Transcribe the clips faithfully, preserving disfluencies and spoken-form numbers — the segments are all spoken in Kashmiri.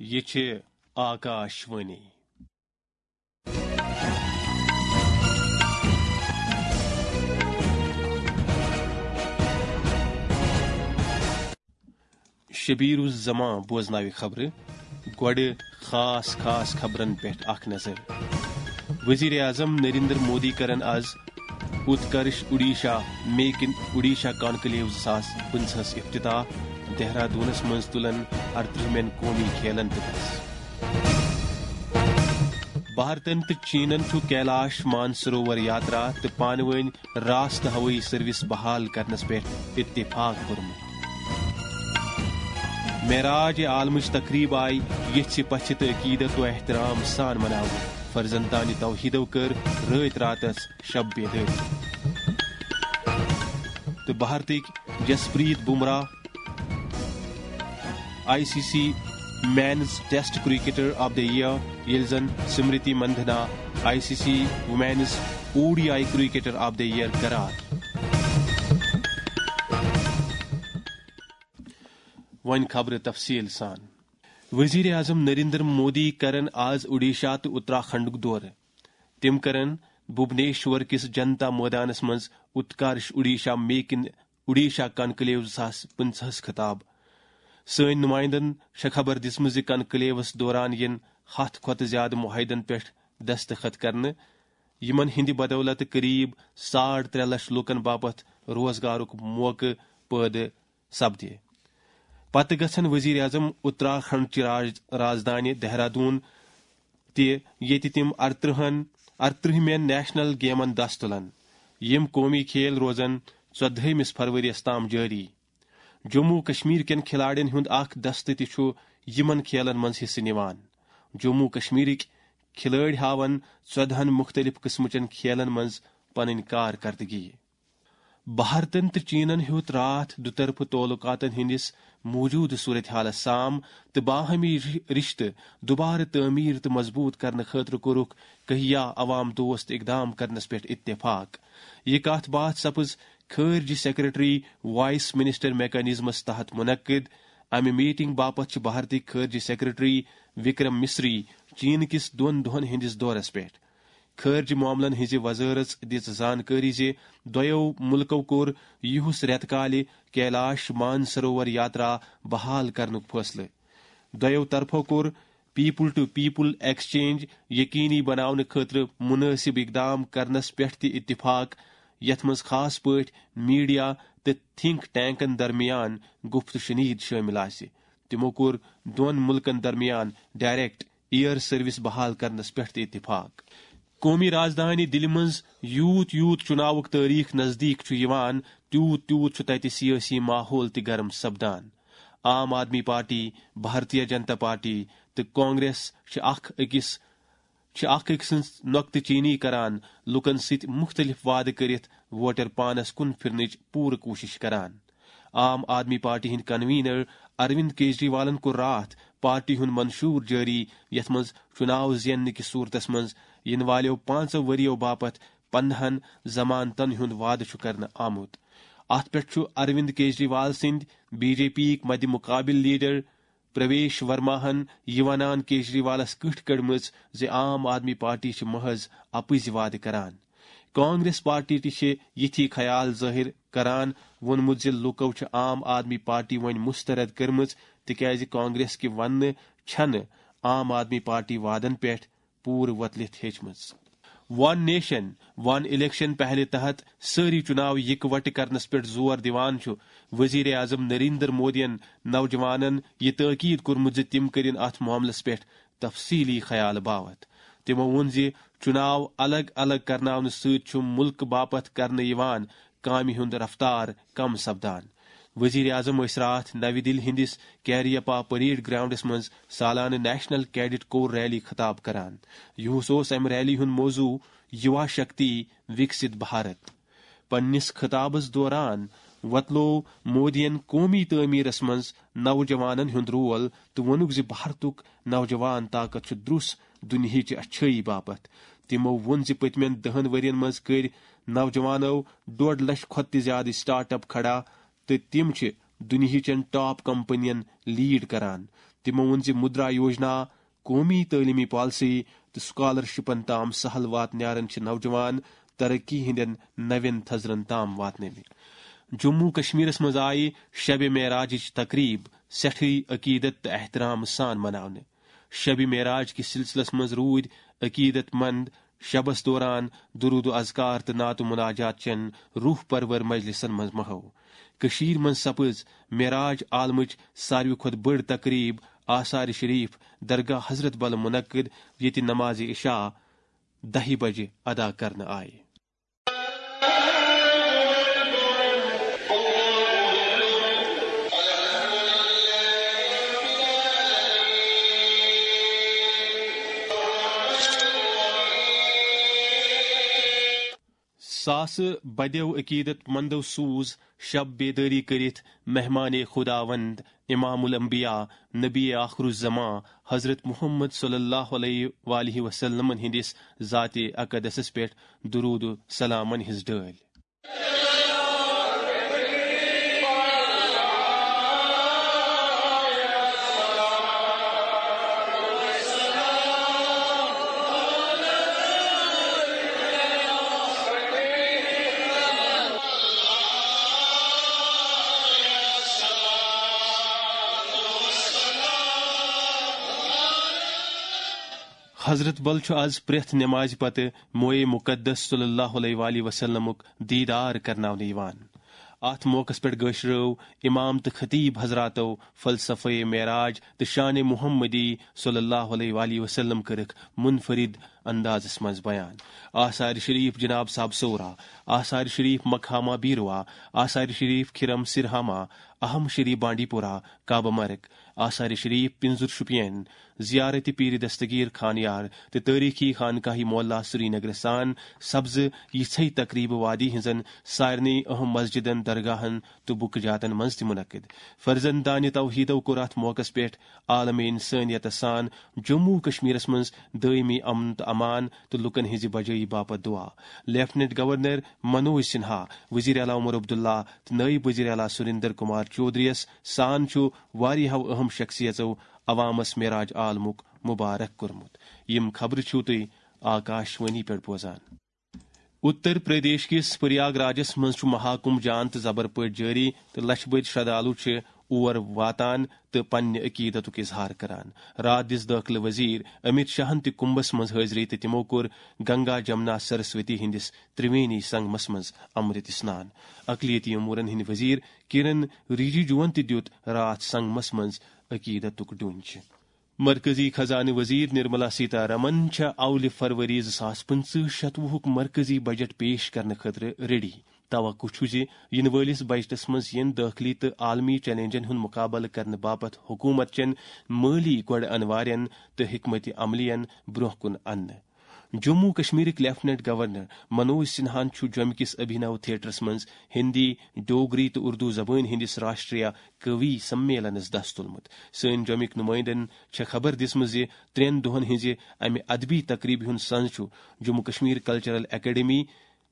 یہِ چھِ آکاش وانی۔ شبیر الزمان بوزناوِ خبرٕ۔ گۄڈٕ خاص خاص خبرن پٮ۪ٹھ اکھ نظر۔ وزیر اعظم نریندر مودی کرن از Utkarsh Odisha make in Odisha conclave زٕ ساس پٕنٛژٕہس افتتاح۔ دہرادونس منٛز تُلن ارترٕہمٮ۪ن قومی کھیلن تہٕ بس۔ بھارتن تہٕ چینن چھُ کیلاش مانسروور یاترا تہٕ پانہٕ وٲنۍ راستہٕ ہوٲیی سروس بحال کرنس پٮ۪ٹھ اتفاق کوٚرمُت۔ معراج عالمٕچ تقریب آیہِ یژھِ پژھِ تہٕ عقیدت و احترام سان مناونہٕ۔ فرزندانِ توحیدو کٔر رٲتۍ راتس شب بیدٲری۔ تہٕ بھارتٕکۍ Jasprit Bumrah I C C men's test cricketer of the year, ییٚلہِ زن Smriti Mandhana I C C women's O D I cricketer of the year قرار۔ وۄنۍ خبرٕ تفصیل سان۔ وزیر اعظم نریندر مودی کرن آز اوڈیشہ تہٕ اتراکھنڈُک دورٕ۔ تِم کرن بھوبنیشور کِس جنتا مٲدانس منٛز Utkarsh Odisha make in Odisha conclave زٕ ساس پٕنٛژٕہس خطاب۔ سٲنۍ نمائندن چھےٚ خبر دِژمٕژ زِ کانکلیوس دوران یِن ہتھ کھۄتہٕ زیادٕ معاہدن پٮ۪ٹھ دستخط کرنہٕ، یِمن ہٕنٛدِ بدولتہٕ قریب ساڑ ترٛےٚ لچھ لوٗکن باپتھ روزگارُک موقعہٕ پٲدٕ سپدِ۔ پتہٕ گژھن وزیر اعظم اتراکھنڈ چہِ راج-، راجدھانی دہرادون تہِ، ییٚتہِ تِم ارترٕہن، ارترٕہمٮ۪ن نیشنل گیمن دس تُلن۔ یِم قومی کھیل روزن ژۄدہٲیمِس فرؤریَس تام جٲری۔ جموں و کشمیر کٮ۪ن کھلاڑٮ۪ن ہُنٛد اکھ دستہٕ تہِ چھُ یِمن کھیلن منٛز حصہٕ نِوان۔ جموں و کشمیرٕکۍ کھلٲڑۍ ہاون ژۄدہن مُختٔلِف قٕسمٕچن کھیلن منٛز پنٕنۍ کارکردگی۔ بھارتن تہٕ چینن ہیوٚت راتھ دُطرفہٕ تعلقاتن ہٕنٛدِس موجودٕ صورتحالس سام تہٕ باہمی رِ-، رشتہٕ دوبارٕ تعمیٖر تہٕ مضبوٗط کرنہٕ خٲطرٕ کوٚرُکھ کہیا عوام دوست اقدام کرنس پٮ۪ٹھ اتفاق۔ یہِ کتھ باتھ سپٕز خارجہ سیکرٹری وائس منسٹر میکانزمس تحت منعقد۔ امہِ میٹنگ باپتھ چھِ بھارتی خارجہ سیکرٹری وکرم مصری چین کِس دۄن دۄہن ہٕنٛدِس دورس پٮ۪ٹھ۔ خارجہ معاملن ہٕنٛزِ وزارژ دِژ زانکٲری زِ دۄیو مُلکو کوٚر یِہُس رٮ۪تہٕ کالہِ کیلاش مانسروور یاترا بحال کرنُک فٲصلہٕ۔ دۄیو طرفو کوٚر پیپل ٹو پیپل ایکسچینج یقینی بناونہٕ خٲطرٕ مناسب اقدام کرنس پٮ۪ٹھ تہِ اتفاق، یتھ منٛز خاص پٲٹھۍ میڈیا تہٕ تھنک ٹینکن درمیان گفت و شنید شٲمِل آسہِ۔ تِمو کوٚر دۄن مُلکن درمیان ڈائریکٹ ایئر سروس بحال کرنس پٮ۪ٹھ تہِ اتفاق۔ قومی راجدھانی دِلہِ منٛز یوٗت یوٗت چُناوُک تٲریخ نزدیٖک چھُ یِوان، تیوٗت تیوٗت چھُ تتہِ سیٲسی ماحول تہِ گرم سپدان۔ عام آدمی پارٹی، بھارتیہ جنتا پارٹی تہٕ کانگریس چھِ اکھ أکِس چھِ اکھ أکۍ سٕنٛز نۄقطہٕ چینی کران، لوٗکن سۭتۍ مُختٔلِف وعدٕ کٔرِتھ ووٹر پانس کُن پھِرنٕچ پوٗرٕ کوٗشش کران۔ عام آدمی پارٹی ہٕنٛدۍ کنوینر اروند کیجریوالن کوٚر راتھ پارٹی ہُنٛد منشور جٲری، یتھ منٛز چُناو زیننہٕ کِس صورتس منٛز یِنہٕ والٮ۪و پانٛژو ؤرۍیو باپتھ پندہن ضمانتن ہُنٛد وعدٕ چھُ کرنہٕ آمُت۔ اتھ پٮ۪ٹھ چھُ اروند کیجریوال سٕنٛدۍ بی جے پی یِک مدِ مقابل لیڈر پرویش ورماہن یہِ ونان کیجریوالس کٕٹھ کٔڑمٕژ زِ عام آدمی پارٹی چھِ محض اپٕزۍ وعدٕ کران۔ کانگریس پارٹی تہِ چھِ یِتھی خیال ظٲہِر کران، ووٚنمُت زِ لوٗکو چھِ عام آدمی پارٹی وۄنۍ مسترد کٔرمٕژ، تِکیازِ کانگریس کہِ وننہٕ چھنہٕ عام آدمی پارٹی وعدن پٮ۪ٹھ پوٗرٕ وۄتلِتھ ہیٚچمٕژ۔ ون نیشن، ون الیکشن پہلہِ تحت سٲری چُناو یِکوٹہٕ کرنس پٮ۪ٹھ زور دِوان چھُ وزیر اعظم نریندر مودیَن نوجوانَن یہِ تٲکید کوٚرمُت زِ تِم کٔرِن اتھ معاملس پٮ۪ٹھ تفصیلی خیال باوتھ۔ تِمو ووٚن زِ چُناو الگ الگ کرناونہٕ سۭتۍ چھُ مُلکہٕ باپتھ کرنہٕ یِوان کامہِ ہُنٛد رفتار کم سپدان۔ وزیر اعظم ٲسۍ راتھ نَوِ دِلہِ ہٕنٛدِس کیریپا پریڈ گراؤنڈس منٛز سالانہٕ نیشنل کیڈٹ کور ریلی خطاب کران۔ یُہُس اوس امہِ ریلی ہُنٛد موضوع یُوا شکتی وکست بھارت۔ پننِس خطابس دوران وۄتلوو مودیَن قومی تعمیرس منٛز نوجوانن ہُنٛد رول تہٕ ووٚنُکھ زِ بھارتُک نوجوان طاقت چھُ درُس دُنیاہٕچہِ اچھٲیی باپتھ۔ تِمو ووٚن زِ پٔتمٮ۪ن دَہن ؤرین منٛز کٔرۍ نوجوانو ڈۄڈ لچھ کھۄتہٕ تہِ زیادٕ سٹارٹ اپ کھڑا تہٕ تِم چھِ دُنیاہٕچن ٹاپ کمپنین لیڈ کران۔ تِمو ووٚن زِ مدرا یوجنا، قومی تعلیمی پالیسی تہٕ سکالرشپن تام سہل واتنارن چھِ نوجوان ترقی ہٕنٛدٮ۪ن نوٮ۪ن تھزرن تام واتنٲومٕتۍ۔ جموں کشمیرس منٛز آیہِ شب معراجٕچ تقریب سٮ۪ٹھٕے عقیدت تہٕ احترام سان مناونہٕ۔ شب معراج کِس سلسلس منٛز روٗدۍ عقیدت مند شبس دوران درود و اذکار تہٕ نعت و مناجات چٮ۪ن روح پرور مجلسن منٛز محو۔ کٔشیٖرِ منٛز سپٕز معراج عالمٕچ ساروی کھۄتہٕ بٔڑ تقریب آثار شریف درگاہ حضرت بل منعقد، ییٚتہِ نماز عشاء دَہہِ بجہِ ادا کرنہٕ آیہِ۔ ساسہٕ بدیو عقیدت مندو سوز شب بیدٲری کٔرِتھ مہمان خداوند امام الانبیاء نبی آخر الزمان حضرت محمد صلی اللہ علیہ وآلہ وسلمن ہندس ذات اقدسس پٮ۪ٹھ درود و سلامن ہنز ڈٲلۍ۔ حضرت بل چھُ از پرٛٮ۪تھ نمازِ پتہٕ موئے مقدس صلی اللہ علیہ وآلہ وسلمُک دیدار کرناونہٕ یِوان۔ اتھ موقعس پٮ۪ٹھ گٲشرٲو امام تہٕ خطیب حضراتو فلسفہ معراج تہٕ شان محمدی صلی اللہ علیہ وآلہ وسلم کٔرٕکھ منفرد اندازس منٛز بیان۔ آثار شریف جناب صاحب سورا، آثار شریف مقامہ بیروا، آثار شریف کھرم سرہامہ، اہم شریف بانڈی پورہ، کعبہ مرگ، آثار شریف پنزر شپین، زیارت پیر دستگیر خانیار تہٕ تٲریخی خانقاہ معلیٰ سرینگر سان سبزٕ یِژھے تقریبہٕ وادی ہٕنٛزن سارنٕے اہم مسجدن، درگاہن تہٕ بُکہٕ جاتن منٛز تہِ منعقد۔ فرزندانِ توحیدو کوٚر اتھ موقعس پٮ۪ٹھ عالم انسانیتس سان جموں کشمیرس منٛز دٲیمی امن تہٕ امان تہٕ لوٗکن ہٕنٛزِ بجٲیی باپتھ دعا۔ لیفٹیننٹ گورنر منوج سنہا، وزیر اعلیٰ عمر عبداللہ تہٕ نٲیِب وزیر اعلیٰ سریندر کمار چودھری یس سان چھُ واریاہو اہم شخصیژو عوامس معراج عالمُک مبارک کوٚرمُت۔ یِم خبرٕ چھِو تُہۍ آکاش وانی پٮ۪ٹھ بوزان۔ اتر پردیش کِس پریاگ راجس منٛز چھُ مہاکمب جان تہٕ زبر پٲٹھۍ جٲری تہٕ لچھِ بٔدۍ شردالو چھِ اور واتان تہٕ پننہِ عقیدتُک اظہار کران۔ راتھ دِژ دٲخلہٕ وزیر امیت شاہن تہِ کمبس منٛز حٲضری تہٕ تِمو کوٚر گنگا جمنا سرسوتی ہٕنٛدِس ترٛوینی سنگمس منٛز امرت اسنان۔ اقلیتی امورن ہٕنٛدۍ وزیر کِرن رِجیجوَن تہِ دیُت راتھ سنگمس منٛز عقیدتُک ڈوٗنۍ۔ مرکزی خزانہٕ وزیر نرملا سیتارمن چھےٚ اولہِ فروری زٕ ساس پٕنٛژٕہ شتوُہُک مرکزی بجٹ پیش کرنہٕ خٲطرٕ ریڈی۔ توقع چھُ زِ یِنہٕ وٲلِس بجٹس منٛز یِن دٲخلی تہٕ عالمی چیلنجن ہُنٛد مُقابلہٕ کرنہٕ باپتھ حکوٗمت چٮ۪ن مٲلی گۄڈٕ انوارٮ۪ن تہٕ حکمت عملین برٛونٛہہ کُن اننہٕ۔ جموں کشمیرٕکۍ لیفٹیننٹ گورنر منوج سنہاہن چھُ جوٚمہِ کِس ابھینو تھیٹرس منٛز ہندی، ڈوگری تہٕ اردو زبٲنۍ ہٕنٛدِس راشٹریہ کوی سمیلنس دس تُلمُت۔ سٲنۍ جوٚمِکۍ نُمٲیندن چھےٚ خبر دِژمٕژ زِ ترٛٮ۪ن دۄہن ہٕنٛزِ امہِ ادبی تقریبہِ ہُنٛد سنز چھُ جموں کشمیر کلچرل اکیڈمی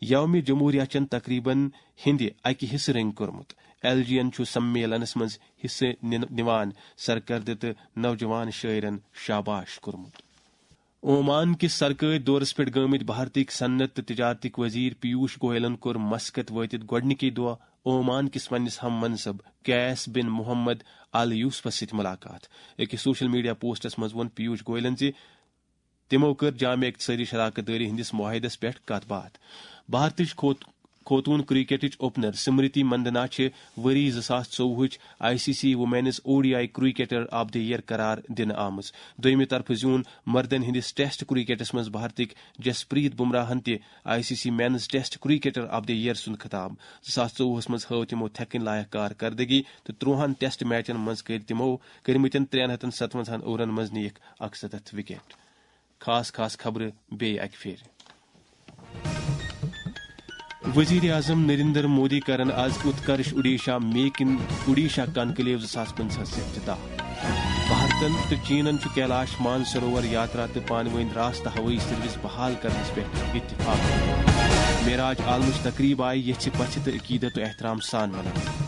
یوم جمہوریہ چٮ۪ن تقریبن ہٕنٛدِ اکہِ حصہٕ رٔنگۍ کوٚرمُت۔ ایل جی یَن چھُ سمیلنس منٛز حصہٕ نِن-، نِوان سرکردٕ تہٕ نوجوان شٲعرن شاباش کوٚرمُت۔ اومان کِس سرکٲرۍ دورس پٮ۪ٹھ گٲمٕتۍ بھارتٕکۍ صنعت تہٕ تجارتٕکۍ وزیر پیوش گوئلن کوٚر مسقط وٲتِتھ گۄڈٕنِکی دۄہ اومان کِس پننِس ہم منصب قیس بن محمد ال یوسفس سۭتۍ ملاقات۔ أکِس سوشل میڈیا پوسٹس منٛز ووٚن پیوش گوئلن زِ تِمو کٔر جامع اقتصٲدی شراکت دٲری ہٕنٛدِس معاہدس پٮ۪ٹھ کتھ باتھ۔ بھارتٕچ کھوت-، خوتون کرکٹٕچ اوپنر سمرتی مندنا چھِ ؤری زٕ ساس ژوٚوُہٕچ I C C women's O D I cricketer of the year قرار دِنہٕ آمٕژ۔ دوٚیمہِ طرفہٕ زیوٗن مردن ہٕنٛدِس ٹیسٹ کرکٹس منٛز بھارتٕکۍ جسپریت بمراہن تہِ I C C men's test cricketer of the year سُنٛد خطاب۔ زٕ ساس ژوٚوُہس منٛز ہٲو تِمو تھٮ۪کٕنۍ لایق کارکردگی تہٕ ترٛوہن ٹیسٹ میچن منٛز کٔرۍ تِمو کٔرمٕتٮ۪ن ترٛٮ۪ن ہتن ستونٛزاہن اوورن منٛز نِیکھ اکسَتتھ وکٹ۔ خاص خاص خبرٕ بیٚیہِ اکہِ پھِرِ۔ وزیر اعظم نریندر مودی کرن از Utkarsh Odisha make in Odisha conclave زٕ ساس پنٛژاہس افتتاح۔ بھارتن تہٕ چینن چھُ کیلاش مانسروور یاترا تہٕ پانہٕ وٲنۍ راستہٕ ہوٲیی سروس بحال کرنس پٮ۪ٹھ اتفاق۔ معراج عالمٕچ تقریب آیہِ یژھِ پژھِ تہٕ عقیدت و احترام سان مناونہٕ۔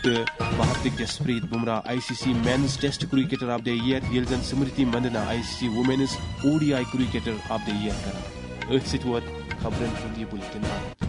تہٕ بھارتٕکۍ Jasprit Bumrah I C C men's test cricketer of the year, ییٚلہِ زن Smriti Mandhana I C C women's O D I cricketer of the year قرار۔ أتھۍ سۭتۍ ووت خبرن ہُنٛد یہِ بُلٹن آخر۔